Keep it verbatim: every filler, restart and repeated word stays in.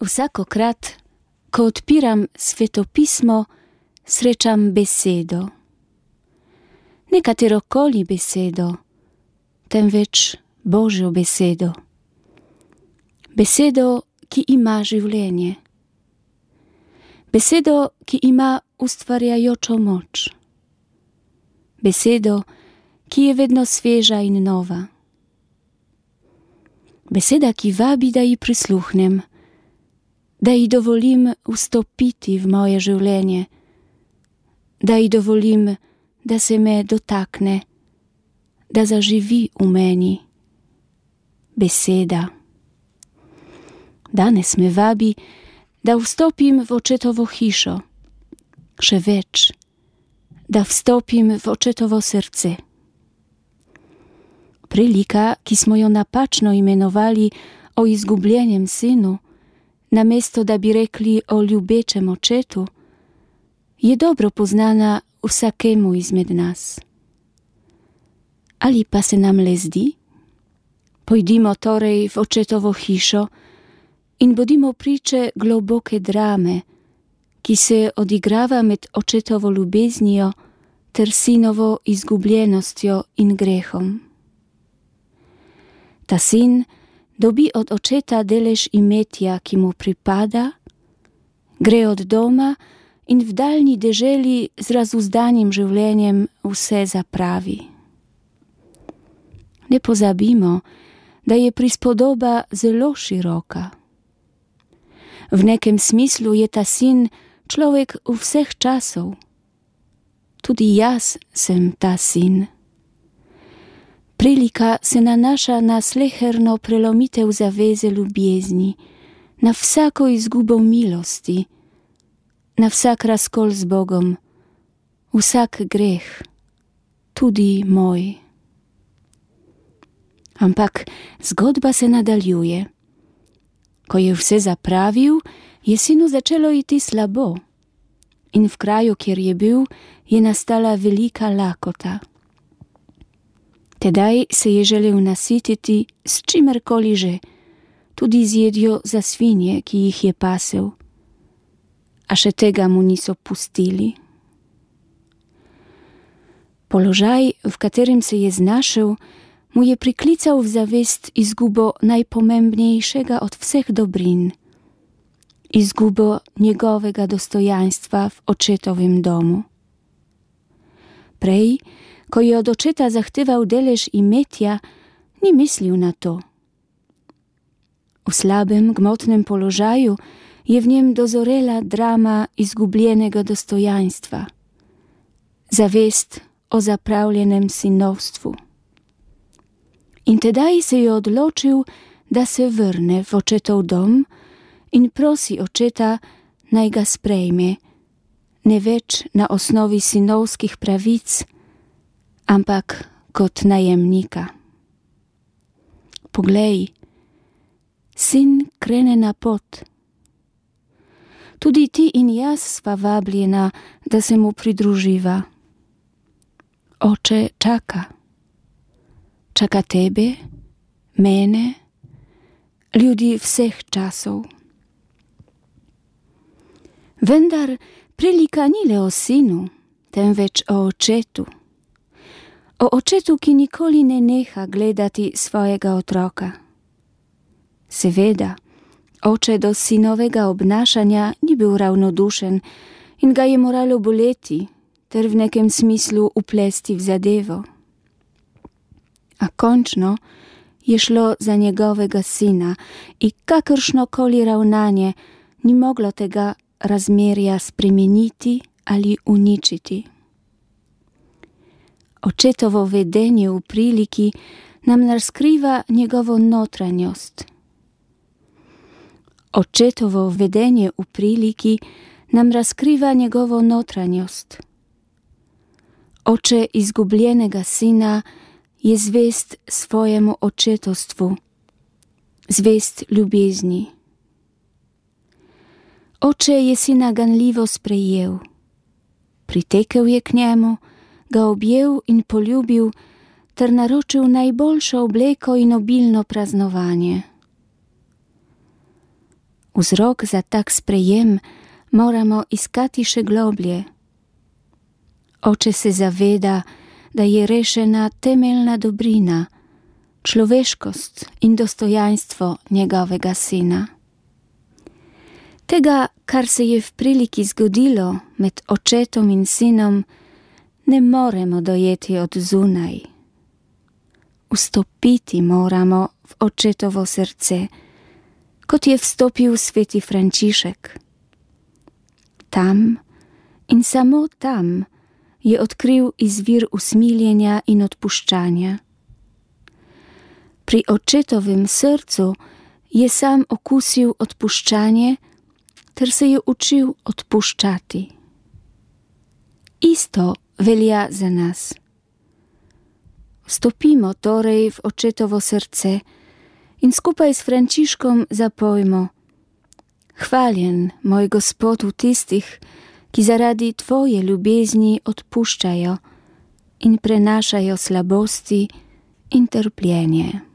Vsakokrat, ko odpiram svetopismo, srečam besedo. Ne katerokoli besedo, temveč Božjo besedo. Besedo, ki ima življenje. Besedo, ki ima ustvarjajočo moč. Besedo, ki je vedno sveža in nova. Beseda, ki vabi, da ji prisluhnem, da ji dovolim vstopiti v moje življenje, da ji dovolim, da se me dotakne, da zaživi v meni. Beseda. Danes me vabi, da vstopim v očetovo hišo, še več, da vstopim v očetovo srce. Prilika, ki smo jo napačno imenovali o izgubljenem sinu, namesto da bi rekli o ljubečem očetu, je dobro poznana vsakemu izmed nas. Ali pa se nam le zdi? Pojdimo torej v očetovo hišo in bodimo priče globoke drame, ki se odigrava med očetovo ljubeznijo ter sinovo izgubljenostjo in grehom. Ta sin dobi od očeta delež imetja, ki mu pripada, gre od doma in v daljni deželi z razuzdanim življenjem vse zapravi. Ne pozabimo, da je prispodoba zelo široka. V nekem smislu je ta sin človek vseh časov. Tudi jaz sem ta sin. Prilika se nanaša na sleherno prelomitev zaveze ljubezni, na vsako izgubo milosti, na vsak razkol z Bogom, vsak greh, tudi moj. Ampak zgodba se nadaljuje. Ko je vse zapravil, je sinu začelo iti slabo in v kraju, kjer je bil, je nastala velika lakota. Tedaj se je želel nasititi s čimerkoli že, tudi z jedjo za svinje, ki jih je pasel. A še tega mu niso pustili. Položaj, v katerem se je znašel, mu je priklical v zavest izgubo najpomembnejšega od vseh dobrin, izgubo njegovega dostojanstva v očetovem domu. Prej, ko je od očeta zahteval delež imetja, ni mislil na to. V slabem gmotnem položaju je v njem dozorela drama izgubljenega dostojanstva, zavest o zapravljenem sinovstvu. In tedaj se je odločil, da se vrne v očetov dom in prosi očeta, naj ga sprejme, ne več na osnovi sinovskih pravic, ampak kot najemnika. Poglej, sin krene na pot. Tudi ti in jaz sva vabljena, da se mu pridruživa. Oče čaka. Čaka tebe, mene, ljudi vseh časov. Vendar prilika ni le o sinu, temveč o očetu. O očetu, ki nikoli ne neha gledati svojega otroka. Seveda, oče do sinovega obnašanja ni bil ravnodušen in ga je moralo boleti ter v nekem smislu uplesti v zadevo. A končno je šlo za njegovega sina in kakršnokoli ravnanje ni moglo tega razmerja spremeniti ali uničiti. Očetovo vedenje v priliki nam razkriva njegovo notranjost. Očetovo vedenje v priliki nam razkriva njegovo notranjost. Oče izgubljenega sina je zvest svojemu očetovstvu, zvest ljubezni. Oče je sina ganljivo sprejel, pritekel je k njemu, ga objel in poljubil ter naročil najboljšo obleko in obilno praznovanje. Vzrok za tak sprejem moramo iskati še globlje. Oče se zaveda, da je rešena temeljna dobrina, človeškost in dostojanstvo njegovega sina. Tega, kar se je v priliki zgodilo med očetom in sinom, ne moremo dojeti od zunaj. Vstopiti moramo v očetovo srce, kot je vstopil sveti Frančišek. Tam in samo tam je odkril izvir usmiljenja in odpuščanja. Pri očetovem srcu je sam okusil odpuščanje ter se je učil odpuščati. Isto velja za nas. Vstopimo torej v očetovo srce in skupaj s Frančiškom zapojmo: Hvaljen, moj Gospod, v tistih, ki zaradi tvoje ljubezni odpuščajo in prenašajo slabosti in trpljenje.